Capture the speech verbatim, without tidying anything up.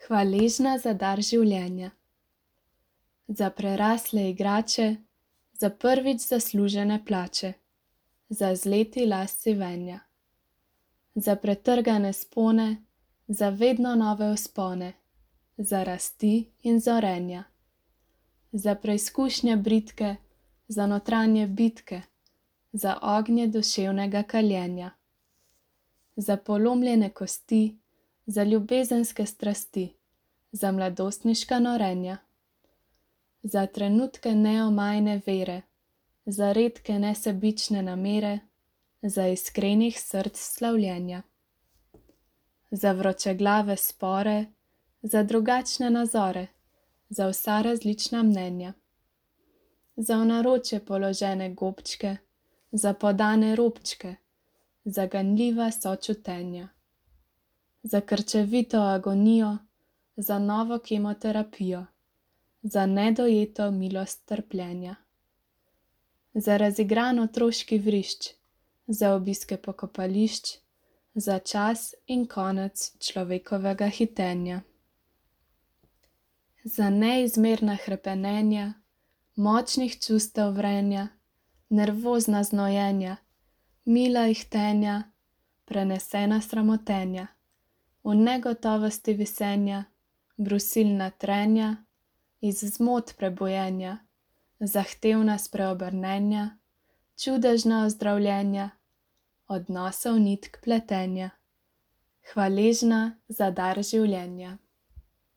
Hvaležna za dar življenja. Za prerasle igrače, za prvič zaslužene plače, za zleti las sivenja. Za pretrgane spone, za vedno nove vzpone, za rasti in zorenja. Za preizkušnje bridke, za notranje bitke, za ognje duševnega kaljenja. Za polomljene kosti, za ljubezenske strasti, za mladostniška norenja. Za trenutke neomajne vere, za redke nesebične namere, za iskrenih src slavljenja. Za vročeglave spore, za drugačne nazore, za vsa različna mnenja. Za v naročje položene gobčke, za podane robčke, za ganljiva sočutenja. Za krčevito agonijo, za novo kemoterapijo, za nedojeto milost trpljenja. Za razigran otroški vrišč, za obiske pokopališč, za čas in konec človekovega hitenja. Za neizmerna hrepenenja, močnih čustev vrenja, nervozna znojenja, mila ihtenja, prenesena sramotenja, v negotovosti visenja, brusilna trenja, iz zmot prebojenja, zahtevna spreobrnenja, čudežna ozdravljenja, odnosov nitk pletenja. Hvaležna za dar življenja.